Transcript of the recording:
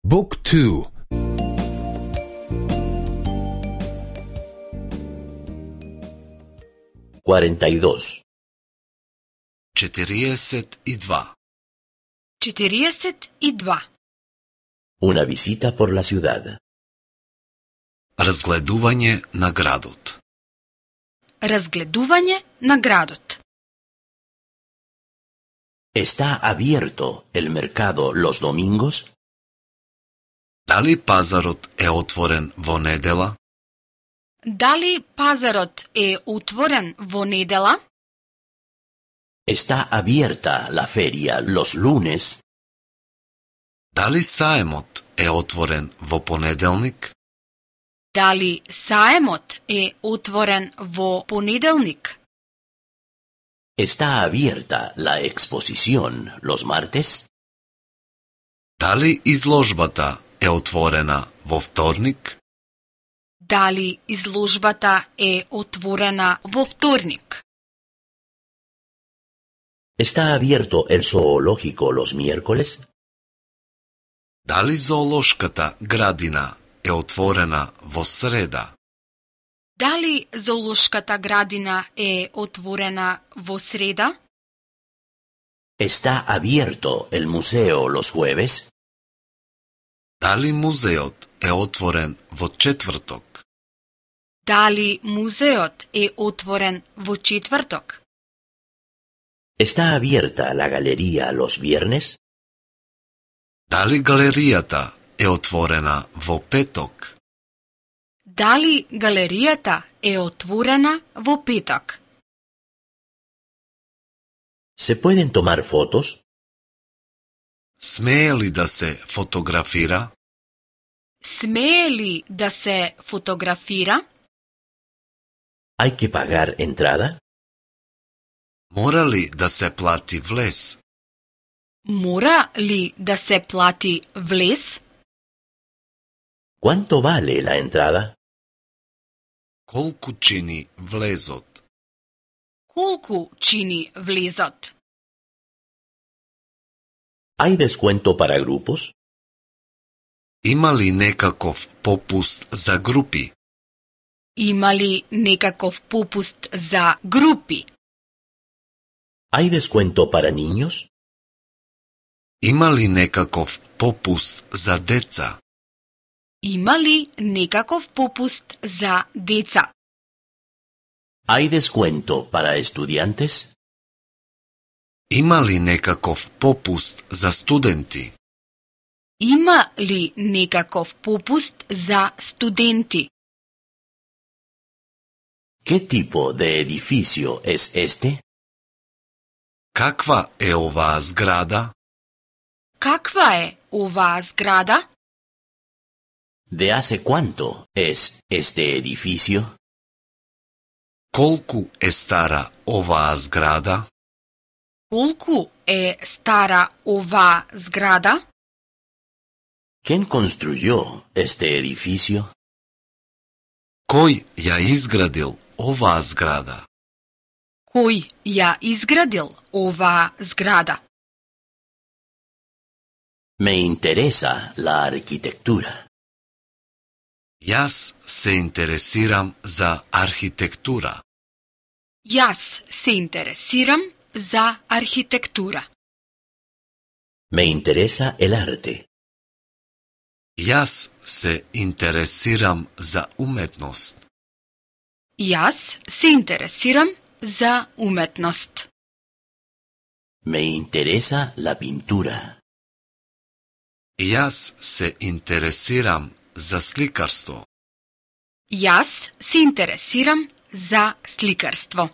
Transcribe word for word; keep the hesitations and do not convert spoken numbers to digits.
Book two. cuarenta y dos. четириесет и два. четириесет и два. Una visita por la ciudad. Разгледување на градот. Разгледување на градот. ¿Está abierto el mercado los domingos? Дали пазарот е отворен во недела? Дали пазарот е отворен во недела? ¿Está abierta la feria los lunes? Дали саемот е отворен во понеделник? Дали саемот е отворен во понеделник? ¿Está abierta la exposición los martes? Дали изложбата е отворена во вторник? Дали изложбата е отворена во вторник? ¿Está abierto el zoológico los miércoles? Дали зоолошката градина е отворена во среда? Дали зоолошката градина е отворена во среда? ¿Está abierto el museo los jueves? Дали музеот е отворен во четврток? Дали музеот е отворен во четврток? ¿Está abierta la galería los viernes? Дали галеријата е отворена во петок? Дали галеријата е отворена во петок? ¿Se pueden tomar fotos? Смее ли да се фотографира? Смее ли да се фотографира? ¿Hay que pagar entrada? Мора ли да се плати влез? Мора ли да се плати влез? ¿Cuánto vale la entrada? Колку чини влезот? Колку чини влезот? ¿Hay descuento para grupos? Има ли некаков попуст за групи? Има ли некаков попуст за групи? ¿Hay descuento para niños? Има ли некаков попуст за деца? Има ли некаков попуст за деца? ¿Hay descuento para estudiantes? Има ли некаков попуст за студенти? Има ли некаков попуст за студенти? ¿Qué tipo de edificio es este? Каква е оваа зграда? Каква е оваа зграда? ¿De hace cuánto es este edificio? Колку е стара оваа зграда? Колку е стара оваа зграда? ¿Quién construyó este edificio? Кој ја изградил оваа зграда? Кој ја изградил оваа зграда? Me interesa la arquitectura. Јас се интересирам за архитектура. Јас се интересирам за архитектура. Me interesa el arte. Јас се интересирам за уметност. Јас се интересирам за уметност. Me interesa la pintura. Јас се интересирам за сликарство. Јас се интересирам за сликарство.